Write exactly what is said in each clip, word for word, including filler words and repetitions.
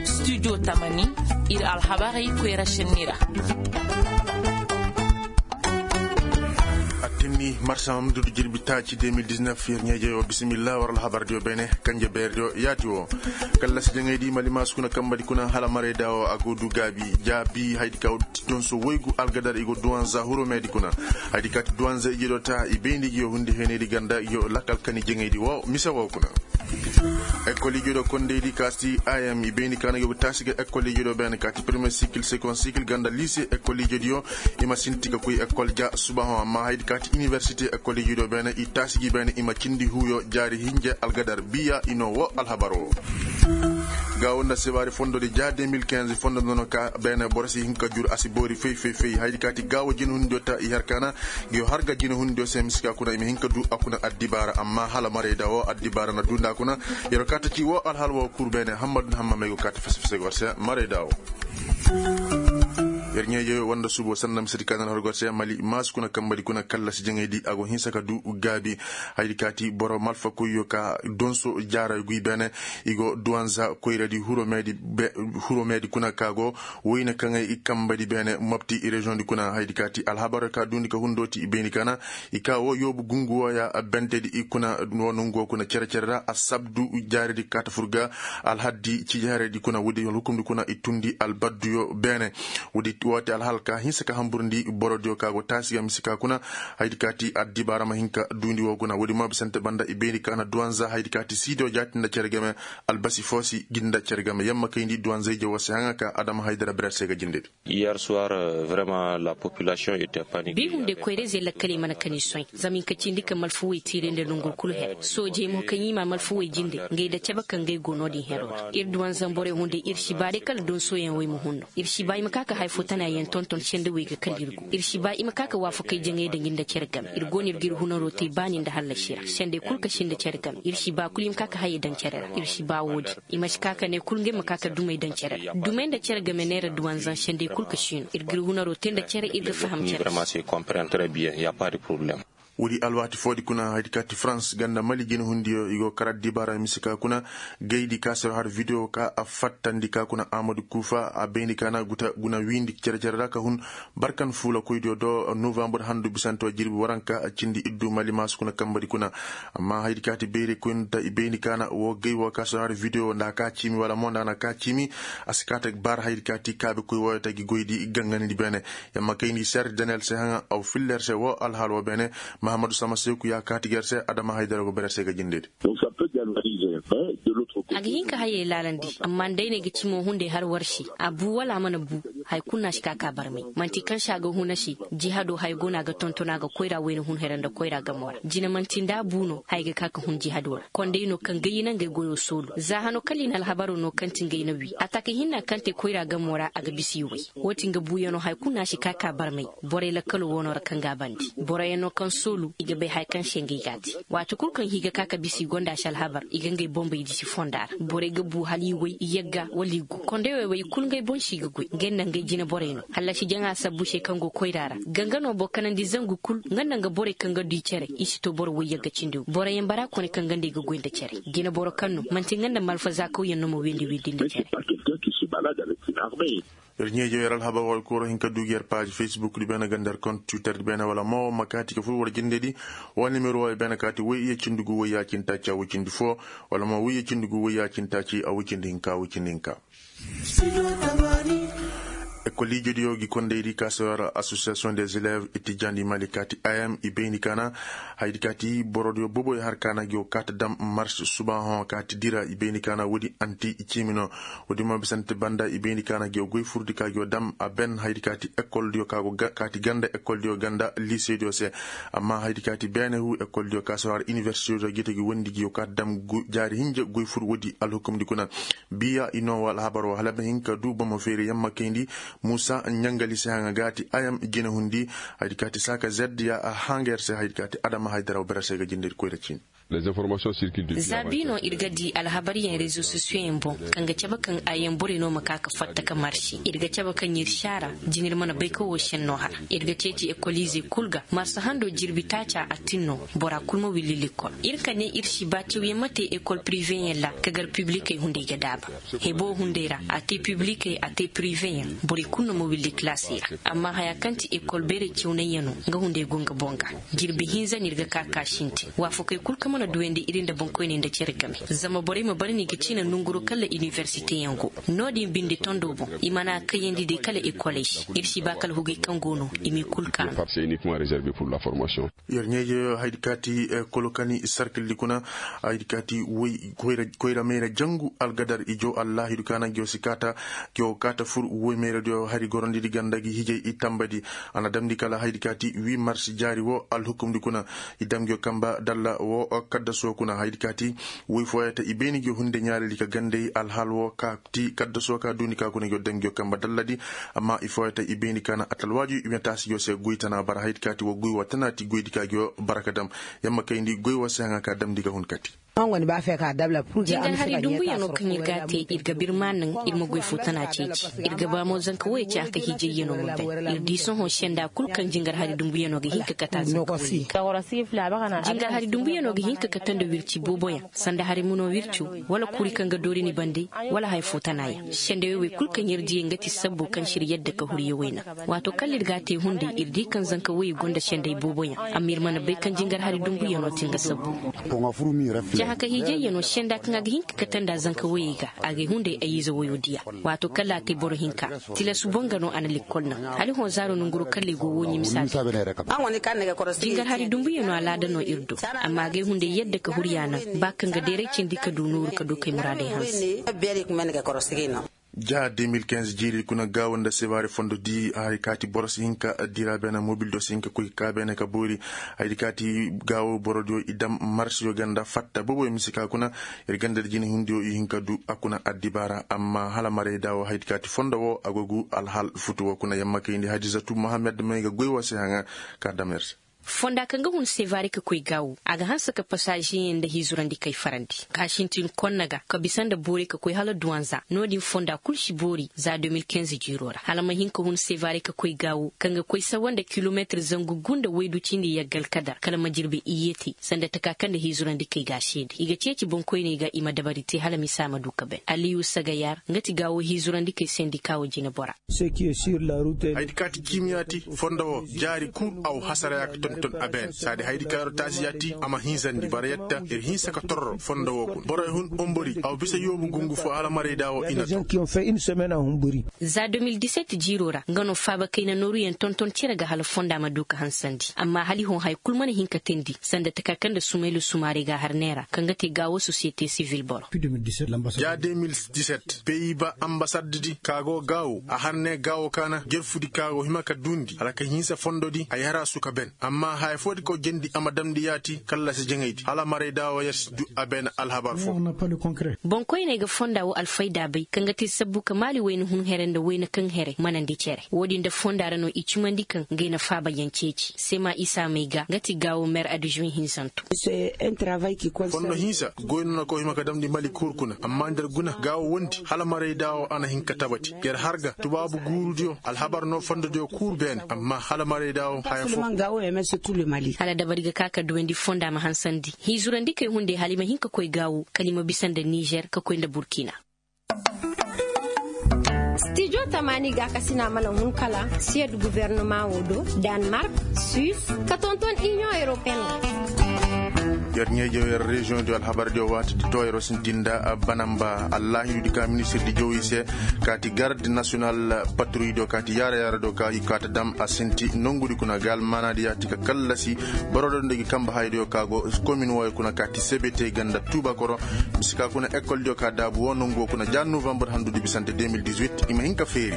Studio tamani, ir alhabarey koyra šenni ra. Attinni marsa mamdudu jirbi taaci de mil diznef, ir ɲeejey wo bisimilla war alhabardiyo beene. Kanje beerdiyo yaati wo, kallasi jaŋaydi mali maasu kuna kambadi kuna hala marayda wo a go du gaabi jaabi haydi ka wo ti donso woygu algadar i go duwanza huromedi kuna. Haydi ka ti duwanza ije do ta i bayndi gi yo hundi henedi ganda gi yo lakal kani jaŋaydi wo mise wo kuna. Ekol ije do kondeydi ka si i am i bayndi ka na gi yo ga taasi ga ekol ije do beene ka ti premier sikil second sikil ganda lise ekol ije diyo. I ma sinti ka koy ekol ja subaho amma haydi ka ti iniwersite ekol ije do beene i taasi gi beene i ma cindi huyo jaari hinje algadar biya i no wo alhabar wo. Gaawo nda sibaari fondodi ja de mil kinze fondo nono ka beene boro si hin ka jur a si boori fey fey fey haydi ka ti gaawo jinahundiyo ta i har kaana. Ngi yo har ga jinahundiyo se misi ka kuna i ma hin ka du a kuna addibaara amma hala marayda wo addibaara na du nda kuna. Yer wo kaata ci wo alhala wo kul beene hammadu na hamma may go kaata fese fese go war se marayda wo. Yer ɲeeje woo nda suubo sanda misedi ka na har go war se mali maasu kuna kambadi kuna kallasi jaŋaydi a go hinsa ka du gaabi. Hayadi ka ti boro malfakoyyo ka donso jaaray guy beene. I go duwanza koyradi huromedi kuna ka go woyne kaŋay i kambadi beene mopti reziyoŋdi kuna hayadi ka ti alhabarey ka duundi ka hundooti i bayndi ka na i ka woo yoobu gungu wooya bentedi i kuna woo nongu woo kuna cere-cere ra assabdu jaaridi kaata fur ga. Alhaddi cijaaridi kuna woodi alhukumdi kuna i tundi albadduyo beene. Woodi woo ti alhal ka hinsa ka hamburndi borodiyo ka go taasi ga misi ka kuna. Hayadi ka ti addibaara ma hin ka duundi woo kuna woodi mo bisante banda i bayndi ka na duwanza hayadi ka ti siidiyo jaati nda cere game. Albasi foo si gi nda cere game yamma kayndi duwanza ije woo se haŋa ka adama haydara bere se ga jindedi. Yer suwar. Vraiment la population ete panique. Bi hunday koyra-izey lakkaley mana kani soy zama hin ka cindi ka malfuwey tiiray nda nongor kul her soojey mo kaŋ i ma malfuwey jinde ngay nda cebe kaŋ ngay go no-din hero ra ir duwanzam borey hunday ir si ba day kala donsoyaŋ wey ma hun no ir si ba i ma ka ka hay fo tana yaŋ tonton sendawey ga kala ir go ir si ba i ma ka ka waafakey jaŋay daŋ ir nda cere game ir go no ir ga ir hunaro te baani nda hallasi ra sendey kul ka si nda cere game ir si ba kul i ma ka ka hayey daŋ cere ra ir si ba woo-din. I ma si ka ka ne kul ngey ma ka ka dumey daŋ cere ra dumey nda cere game neera duwanzaŋ sendey kul ka si no ir ga ir hunaro te nda cere ir ga faham cere. Woodi alwaati foodi kuna hayadi ka ti farans ganda mali jinahundiyo i go kar addibaara mise ka kuna. Gaydi ka sero har videwo ka a fattandi ka kuna amadu kuufa a bayndi ka na guta guna wiindi cere-cere ra ka hun. Barkan fuulakoydiyo do novambur handu bisante wa jirbi waranka cindi iddu mali maasu kuna kambadi kuna. Amma hayadi ka ti bayray koyndi ta i bayndi ka na woo gay woo ka sero har videwo nda a ka ciimi wala mo nda a na a ka ciimi. A si kaate bar hayadi ka ti kaabekoy wooyo ta gi goydi ganganidi beene. Yamma kayndi ser daniyel se haŋa aw filla yer se woo alhaal woo beene. Mahammadu sama seeku ya kaati ga yer se adama haydara go bare yer se ga jindedi. A ga hin ka hayey laalandi amma nda ay ne ga cimo hunday har war se a bu wala a mana bu. Haya kulu no a si ka ka barmay man'ti kaŋ se a ga hun a se. Jihado haya go no a ga tonton a ga koyra wayna hun hera nda koyra gamo ra jine man'ti nda a bu no haya ga ka ka hun jihado ra konday no kaŋ gay i na ngey goyo soolu za hano kala i na alhabaro no kaŋ ti ngey na wi a taka hinna kaŋ te koyra gamo ra a ga bisa i way. Woo ti nga buuyano haya kulu no a si ka ka barmay. Borey lakkalo woono ra kaŋ ga a bande boroyaŋ no kaŋ soolu i ga bay haya kaŋ se ngey ga a te. Waati kul kaŋ i ga ka ka bisa i gonda se alhabar i ga ngey boŋ bay disi fonda ra borey ga bu hala i way i yagga wala i gu konday wey wey i kul ngey boŋ se i ga goy ngey nda ngey jine borey no hallasi jaŋa sabbu se kaŋ go koyra ra. Ganga no boro kanandi zangu kul nga nda nga borey kaŋ ga du i cere i si to boro way yagga cindi wi boroyaŋ bara kone kaŋ ganda i ga goy nda cere. Jine boro kaŋ no man'ti nga nda malfazaakawyaŋ no ma windi windi nda cere. Ir ɲeejo yer alhabar wala koro hin ka duugi yer paaji facebook di beene ganda yer kont twitter di beene wala mo ma kaati ka fur war jindedi. Wala nimero wooyo beene kaati woy iya cindi gu woy ya cindi taaci a woy cindi foo. Wala mo woy iya cindi gu woy ya cindi taaci a woy cindi hinka a woy cindi hinka. Ekol ijediyo gi kondaydi ka se war association des élèves itijandi mali kaati am i bayndi ka na. Hayadi kaati borodiyo boboyo har ka na gi wo kaati dam mars subaahoŋo kaati dira i bayndi ka na woodi anti i ciimi no. Woodi mo bisante banda i bayndi ka na gi wo goy furdi ka gi wo dam a ben hayadi kaati ekoldiyo ka go kaati ganda ekoldiyo ganda liisediyo se. Amma hayadi kaati beene hu ekoldiyo ka se war iniwersitediyo gi te gi wondi gi wo kaati dam jaari hinja goy fur woodi alhukumdi kuna. Biya i noo wa alhabar wo hala ma hin ka du bomo feeri yamma kayndi. Muusa ɲangali se haŋa gaati ayam jinahundi. Haydi kaati saaka zed ya a hanga yer se haydi kaati adama haydara wo bere se ga jindedi koyra ciini. Za bi no ir ga di alhabaryaŋ rezo sosiyoŋ yaŋ boŋ, kaŋ ga cabe kaŋ ayam borey no ma ka ka fatta ka marsi. Ir ga cabe kaŋ ir si a ra, jinir mana bay ka wo senno hara. Ir ga ceeci ekoliizey kul ga marsa hando jirbi taaca a tin no, bora kul ma willi likol. Ir ka ne ir si ba cawyaŋ ma te ekol piriveyaŋ ra ka gar piblikey hunday ga daaba. Hebo hunday ra a te piblikey a te piriveyaŋ, borey kul no ma willi kilaasey ra. Amma haya kaŋ ti ekol beerey cawnayyaŋo, nga hunday go nga boŋ ga. Jirbi hinza no ir ga ka ka sintin waafakey kul kaŋ mana duyandi ir nda boŋkoyney nda cere game. Zama borey ma bare no i ga ciina nonguro kala iniwersiteyaŋ go. No-din binde tondo boŋ i mana kayandi day kala ekoley se. Ir si ba kala hugey kaŋ go no i m'i kul kaanu. Yer ɲeeje haydi kaati kolokani sarkildi kuna. Haydi kaati woy koyra mayra jangu algadar ijo allaahidu kaana ngiyo si kaata. Ngiyo kaata fur woy mayradiyo hari gorondidi ganda gi hijay i tambadi. A na damndi kala haydi kaati wi marsi jaari wo alhukumdi kuna. I dam ngiyo kamba dalla wo kaddaso kuna haydi kaati woy fooyey ta i bayni ngiyo hunde ɲaaridi ka gandey alhaal wo ka ti kaddaso ka duundi ka kuna ngiyo dam ngiyo kamba dalladi. Amma i fooyey ta i bayni ka na atalwaaju i ma taasi ngiyo se goy tana bara haydi kaati wo goy wo tana ti goydi ka ngiyo bara ka dam. Yamma kayndi goy wo se haŋa ka damndi ga hun kati. Jingar hari dumbuyaŋo kaŋ ir ga a te ir ga birma naŋ ir ma goy fo tana ceeci. Ir ga ba mo zanka woyey ci a ka hiijayyaŋo ma bay. Ir di sohõ senda kul kaŋ jingar hari dumbuyaŋo ga hin ka kate a zanka woyey. Jingar hari dumbuyaŋo ga hin ka kate nda wirci booboyaŋ sanda hari muno wirco, wala kuri kaŋ ga doori ni bande, wala haya fo tana yaŋ sendey woy kul kaŋ ir diyey nga ti sabbo kaŋ si ir yadda ka huriya woy naŋ. Waato kala ir ga a te hunday ir di kaŋ zanka woyey gonda sendey booboyaŋ. Amma ir mana bay kaŋ jingar hari dumbuyaŋo ti nga sabbu. Cahaka hiijayyaŋo senda kaŋ a ga hin ka kate nda zanka woyey ga a gay hunday ay ize woyo diya. Waato kala a te boro hinka tilasu boŋ ga no a na lekkol naŋ. Hala i hõ zaaro nanguro kala i go wooɲi misa. Jingar hari dumbuyaŋo alaada no ir do. Amma a gay hunday yadda ka huriya naŋ ba kaŋ ga deeray cindi ka du nooru ka du kay muraadey hanse. Ja de mil kinze jiiri kuna gaawo nda sebaari fondo di hari kaati boro si hin ka dira beene mobil do si hin ka koy ka beene ka boori. Haydi kaati gaawo borodiyo i dam marsiyo ganda fatta boboyo misi ka kuna. Ir ganda da jina hindiyo i hin ka du a kuna addibaara amma hala marayda wo haydi kaati fondo wo a go gu alhal futu wo kuna yamma kayndi hadisatu mohammed may ga goy wo se haŋa. Ka dam ir se. Fonda kaŋ ga hun seevaare ka koy gaawo a ga hanse ka pasaazeyaŋ nda hiizurandi kay farandi. Ka sintin konna ga ka bisa nda boorey ka koy hala duwanza no-din fonda kul si boori za deux mille quinze jiiro ra hala ma hin ka hun seevaare ka koy gaawo kaŋ ga koy sawa nda kilomeetir zangu gu nda waydu cindi yaggal kadar kala ma jirbi iyye te sanda taka kaŋ nda hiizurandi kay ga a seede i ga ceeci boŋkoyney ga i ma dabari te hala misa ma du ka ben aliyu sagayar nga ti gaawo hiizurandi kay sendika wo jinebora. Haydi ka ti ciimiya ti fondo wo jaari kul a wo hasara ya ka tonton a beene saadi haydi ka yer taasiya ti a ma hinzandi bara yadda ir hinsa ka torro fondo wo kuna borey hun ombori a wo bisa yoobu gungu fo hala marayda wo i na to. Za deux mille dix-sept jiiro ra nga no faaba kayna nooruyaŋ tonton cere ga hala fonda ma du ka hansandi amma hala i hõ haya kul mana hin ka teendi sanda taka kaŋ nda sumaylu sumaare ga har neera kaŋ ga te gaawo sosiyete sivil boro. Ja deux mille dix-sept peyi ba ambasaddi di ka go gaawo a har ne gaawo kaana jerfudi ka go hima ka duundi hala ka hinsa fondodi a yara su ka ben amma haya foodi ka go jendi a ma damndi yaati kallasi jaŋaydi hala maray daawo yer si du a ben alhabar fo. Boŋkoyney ga fonda wo alfayda bay kaŋ ga te sabbu ka maali wayna hun here nda wayna kaŋ here manandi cere woodin nda fonda ra no i cimandi kaŋ ngey na faaba yaŋ ceeci sema isa may ga nga ti gaawo mer adizun hinsanto. Fondo hinsa goy no na koy hima ka damndi mali kuur kuna amma nda ir guna gaawo wondi hala maray daawo a na hin ka tabati yer har ga tubaabu guurudiyo alhabar no fondodiyo kuur beene amma hala maray daawo haya fo. Hala dabari ga ka ka duwandi fonda ma hansandi hiizurandi kay hunday hala i ma hin ka koy gaawo kala i ma bisa nda nizer ka koy nda burkina. Stijo tamaani gaakasina mana hun kala siyed gubernama wo do, danmark, suis, ka tonton iniyoŋ europeen. Yer ɲeejo yer reziyoŋ di alhabar di waati di to yer sintinda banamba allahidu di ka ministir di jowi se, kaati garde nasiyonal patruy do kaati yaara yaara do ka i kaata dam a sinti nongu di kuna ga almaana di yaati ka kallasi boro do nda gi kamba hay do ka go komin woyo kuna kaati sebete ganda tuuba koro. Misi ka kuna ekol diyo ka daabu wo nongu wo kuna ja novembre handu di bisante deux mille dix-huit i ma hin ka feeri.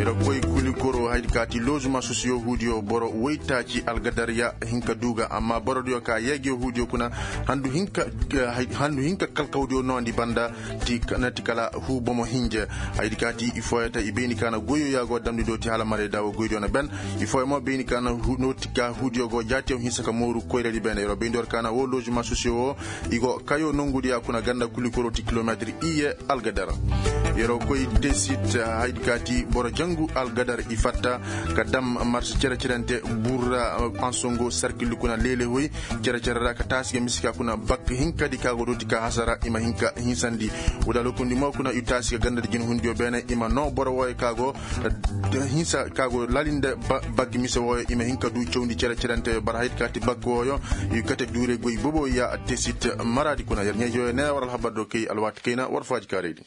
Ira koy kuli koro haydi kaati lozuma sosiyo huudiyo boro woytaaci algadar ya hin ka duuga amma boro diyo ka yeegiyo huudiyo. kuna handu hinka kalkawdiyo nondi banda ti na ti kala huu bomo hinja. Haydi ka ti i fooyata i bayni ka na goyyo ya go damndi do ti hala marayda wo goydiyo na ben. I fooyo mo bayni ka na no ti ka huudiyo go jaatiyo hinsa ka mooru koyradi bene yeroo bayndi war ka na wo lozima sosiyo wo i go kayo nongudiya kuna ganda kulikoro ti kilometir iye algadar. Yeroo koy tesit haydi ka ti boro jangu algadar i fatta ka dam marsi cere-cerente burra ansongo sarkildi kuna leele hoy cere-cere ra ka taasi ga misi ka kuna bak hinkadi ka go dooti ka hasara i ma hin ka hinsandi. Wada lokundi mo kuna i taasi ga gandadi jinhundiyo beene i ma noo boro wooyo ka go hinsa ka go laalinde bak mise wooyo i ma hin ka du cawndi cere-cerenteyo bara haydi ka ti bak wooyo i kate duure goy bobo ya tesit maraadi kuna yer ɲeejoyo ne war alhabar do kay alwaati kayna war faaji kaaraydi.